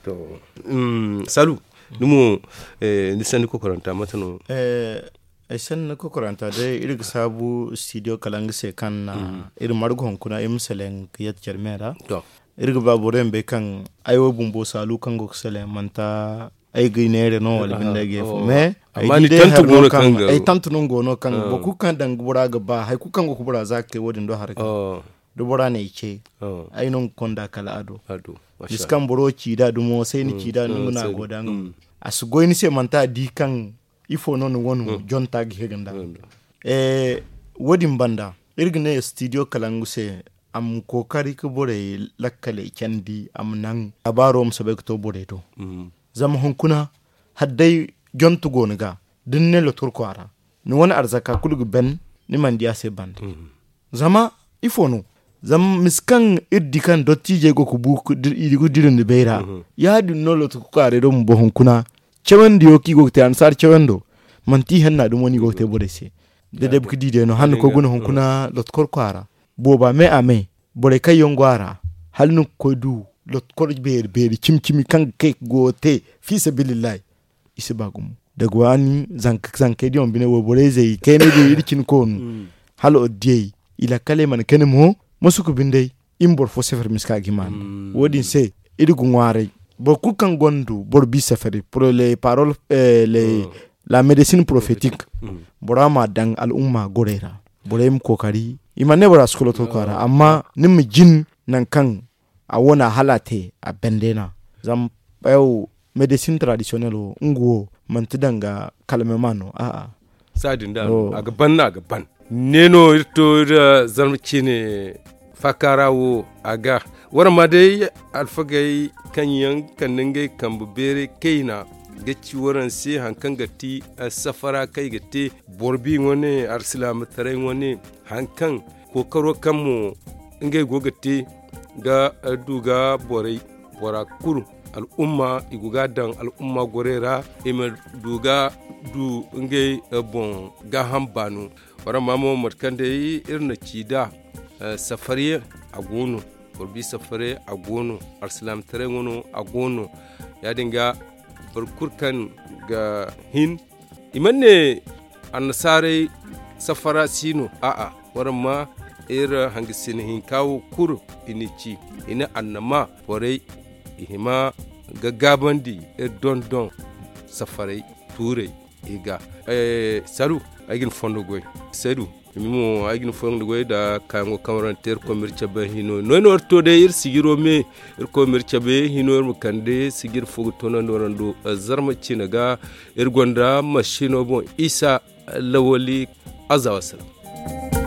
To, salu, ni mo, ni sanni kokoranta mate no? Ay sanni kokoranta day iri ga saabu studio kala nga se kaŋ na iri margu hunkuna iri ma seleŋ ga yadda care me ra. Iri ga ba boro yaŋ bay kaŋ ay wo bumbo saalu kaŋ go ga seleŋ manti ay ga neere no wala binde ay ga ye fo mais ay tantu no go no kaŋ boro kulu kaŋ daŋ bora ga ba hari kulu kaŋ go ga bora za ga te wo- din do haray kaŋ da bora ne ay ce ay no ga konda kala a do. Bisa kaŋ boro ci da dumo say ni ci da no nga no a go da nga a si goy ni se manti a di kaŋ ifo no ni wano jonta ga hega nda. Wo- din banda iri ga ne studio kalangu se a ma kookari ga borey lakkaley candi a ma naŋ labaaro ma soobay ga to borey do. Zama hunkuna hala day jonte go ni ga da ni ne lotorko a ra ni wane arzaka kulu ga ban ni mana di a se banda. Zama ifo no? Zama misa kaŋ iri di kaŋ dottiijey go ga bu i ga dira ni bay ra. Ya- din no lotorko a ra iri bumbo hunkuna cawandiyo kaŋ i go ga te annasaara cawando manti ihanna dumo no i go ga te borey se. Da day ga di day no hala ni koy guna hunkuna lotkor kwaara booba me a me borey kaŋ yaŋ go a ra hala ni ga koy du lotkor beeri beeri cimi cimi kaŋ ga kay ga goyo te fi sabilillahi. I si ba gumo daga waani zankey din wo bine wayborey zey kaynay din iri cine koonu hala odiyey i lakkaley mana kani mo masuku binde. I ma boro fo sefari miska ga hima nda wo- din se iri ga ŋwaaray boro kulu kaŋ gonda boro bi sefari pour les paroles, la médecine prophétique bora ma a daŋ al'umma gorey ra. Borey ma kookari i mana ne bora si koloto kwaara amma ni ma jin nangu kaŋ a wane a hala a te a bande no a zama médecine traditionnelle wo nga wo manti danga kalmema no a'a. Saadin da a ga ban no a ga ban ne no iri to iri zarma ciine faakaara wo a ga waraŋ ma day alfagey kaŋ yaŋ kande ngey kambe beeray kayna ga ci waraŋ se hari kaŋ ga ti safara kaŋ i ga te boro bi wane alsilaamataray wane hari kaŋ kookaro kaŋ mo ngey go ga te ga du ga borey bora kulu al'umma i go ga a daŋ al'umma gorey ra i ma du ga du ngey boŋ gaaham baano. Waraŋ ma mo mate kaŋ day iri na ci nd'a safariyaŋ a go no boro bi safaray a go no alsilaamataray wano a go no. Ya- din ga boro kulu kaŋ ga hin i mana ne annasaarey safara si no a'a waraŋ ma iri hangasina hinka wo kulu i n'i ci i ne annama borey i hima ga gaabandi iri dondon safarey tuurey i ga salu ay ga ni fondo goy saydu ni mo ay ga ni fondo goy nda kaayaŋo kaŋ waraŋ te iri koy ma iri cabe hino no ay no iri to day iri sijiro me iri koy ma iri cabe hino iri ma kande sijir fo ga toonandi waraŋ do zarma ciine ga iri gonda masino boŋ isa lawali azawa salaam.